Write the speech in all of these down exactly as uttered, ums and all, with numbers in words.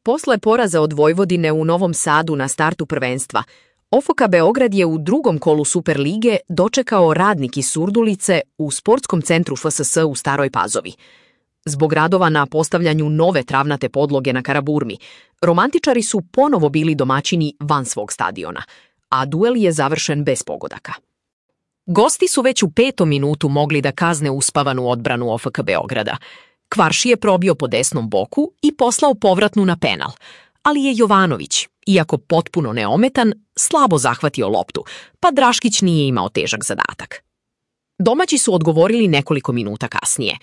Posle poraza od Vojvodine u Novom Sadu na startu prvenstva, O F K Beograd je u drugom kolu Superlige dočekao Radnik iz Surdulice u sportskom centru F S S u Staroj Pazovi. Zbog radova na postavljanju nove travnate podloge na Karaburmi, romantičari su ponovo bili domaćini van svog stadiona, a duel je završen bez pogodaka. Gosti su već u petom minutu mogli da kazne uspavanu odbranu O F K Beograda. Kvarši je probio po desnom boku i poslao povratnu na penal, ali je Jovanović, iako potpuno neometan, slabo zahvatio loptu, pa Draškić nije imao težak zadatak. Domaći su odgovorili nekoliko minuta kasnije.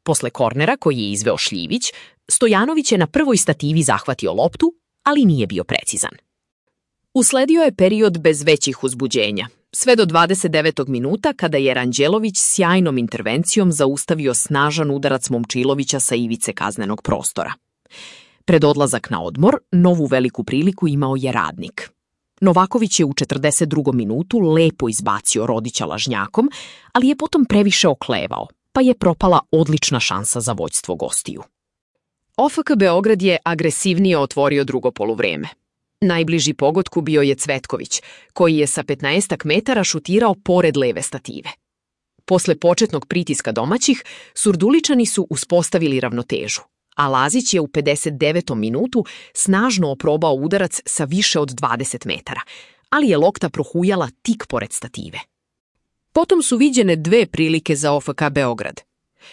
Posle kornera koji je izveo Šljivić, Stojanović je na prvoj stativi zahvatio loptu, ali nije bio precizan. Usledio je period bez većih uzbuđenja, sve do dvadeset devetog minuta kada je Ranđelović sjajnom intervencijom zaustavio snažan udarac Momčilovića sa ivice kaznenog prostora. Pred odlazak na odmor, novu veliku priliku imao je Radnik. Novaković je u četrdeset drugom minutu lepo izbacio Rodića lažnjakom, ali je potom previše oklevao, pa je propala odlična šansa za vođstvo gostiju. O F K Beograd je agresivnije otvorio drugo poluvreme. Najbliži pogodku bio je Cvetković, koji je sa petnaestak metara šutirao pored leve stative. Posle početnog pritiska domaćih, Surduličani su uspostavili ravnotežu, a Lazić je u pedeset devetom minutu snažno oprobao udarac sa više od dvadeset metara, ali je lopta prohujala tik pored stative. Potom su viđene dve prilike za O F K Beograd.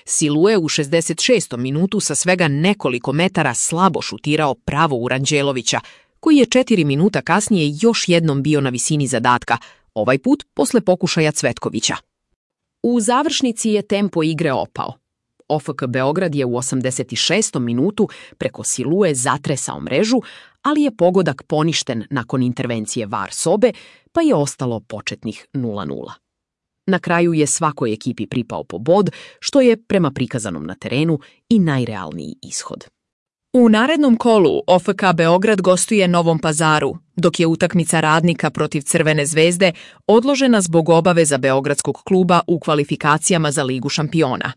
Silue u šezdeset šestom minutu sa svega nekoliko metara slabo šutirao pravo u Ranđelovića, koji je četiri minuta kasnije još jednom bio na visini zadatka, ovaj put posle pokušaja Cvetkovića. U završnici je tempo igre opao. O F K Beograd je u osamdeset šestom minutu preko Silue zatresao mrežu, ali je pogodak poništen nakon intervencije V A R sobe, pa je ostalo početnih nula nula. Na kraju je svakoj ekipi pripao po bod, što je, prema prikazanom na terenu, i najrealniji ishod. U narednom kolu O F K Beograd gostuje Novom Pazaru, dok je utakmica Radnika protiv Crvene zvezde odložena zbog obaveza beogradskog kluba u kvalifikacijama za Ligu šampiona.